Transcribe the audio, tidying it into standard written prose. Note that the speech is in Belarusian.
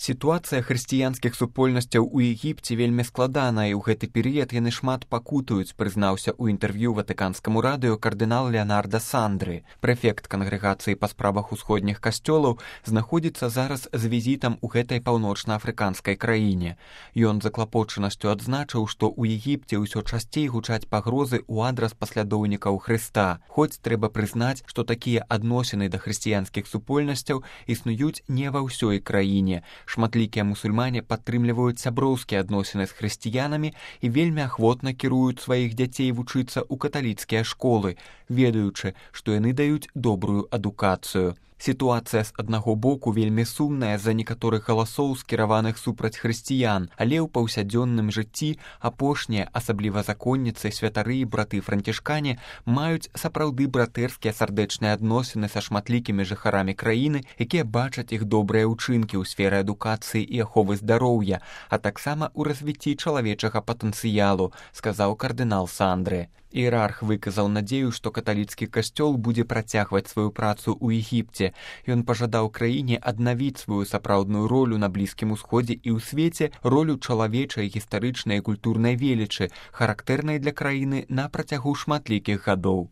Сітуацыя хрысціянскіх супольнасцяў у Егіпце вельмі складаная, і ў гэты перыяд яны шмат пакутаюць, прызнаўся ў інтэрв'ю ватыканскаму радыё кардынал Леонардо Сандры. Прэфект кангрэгацыі па справах усходніх касцёлаў знаходзіцца зараз з візітам у гэтай паўночна-афрыканскай краіне. Ён з заклапочанасцю адзначыў, што ў Егіпце ўсё часцей гучаць пагрозы ў адрас паслядоўнікаў Хрыста. Хоць трэба прызнаць, што такія адносіны да хрысціянскіх супольнасцяў існуюць не ва ўсёй краіне. Шматлікія мусульмане падтрымліваюць сяброўскія адносіны з хрысціянамі і вельмі ахвотна кіруюць сваіх дзяцей вучыцца ў каталіцкія школы, ведаючы, што яны даюць добрую адукацыю. Сітуацыя з аднаго боку вельмі сумная з-за некаторых галасоў, скіраваных супраць хрысціян, але ў паўсядзённым жыцці апошнія, асабліва законніцы, святары і браты-францішкане, маюць сапраўды братэрскія сардэчныя адносіны са шматлікімі жыхарамі краіны, якія бачаць іх добрыя ўчынкі ў сферы адукацыі і аховы здароўя, а таксама ў развіцці чалавечага патэнцыялу, сказаў кардынал Сандры. Іерарх выказаў надзею, што каталіцкі касцёл будзе працягваць сваю працу ў Егіпце. Ён пажадаў краіне аднавіць сваю сапраўдную ролю на Блізкім Усходзе і ў свеце, ролю чалавечай, гістарычнай і культурнай велічы, характэрнай для краіны на працягу шматлікіх гадоў.